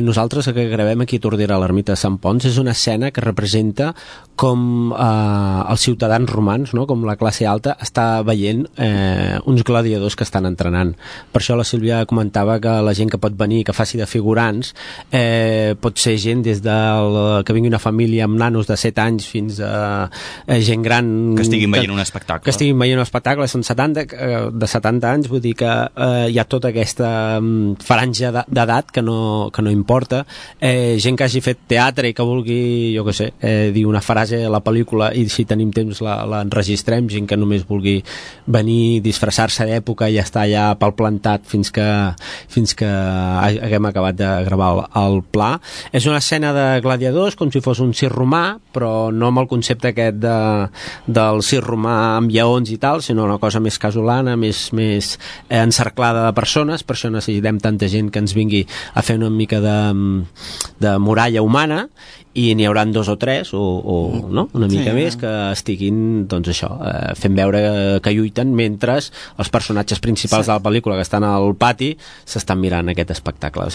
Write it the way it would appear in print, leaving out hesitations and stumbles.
nosaltres que gravem aquí a Tordera, a l'ermita de Sant Ponç, és una escena que representa com els ciutadans romans, no? Com la classe alta està veient uns gladiadors que estan entrenant. Per això la Sílvia comentava que la gent que pot venir, que faci de figurants, pot ser gent des que vingui una família amb nanos de 7 anys fins a gent gran que estiguin veient un espectacle. Que estiguin veient un espectacle, són 70 anys, vull dir que hi ha tota aquesta franja d'edat que no importa. Gent que hagi fet teatre i que vulgui, jo què sé, dir una frase a la pel·lícula i si tenim temps l'enregistrem, gent que només vulgui venir, disfressar-se d'època i estar allà pel plantat fins que haguem acabat de gravar el pla. És una escena de gladiadors com si fos un circ romà, però no amb el concepte aquest del circ romà amb lleons i tal, sinó una cosa més casolana, més encerclada de persones. Per això necessitem tanta gent que ens vingui a fer una mica de muralla humana, i n'hi hauran 2 o 3 o no? Una mica més que estiguin, doncs això, fent veure que lluiten mentre els personatges principals de la pel·lícula que estan al pati s'estan mirant aquest espectacle.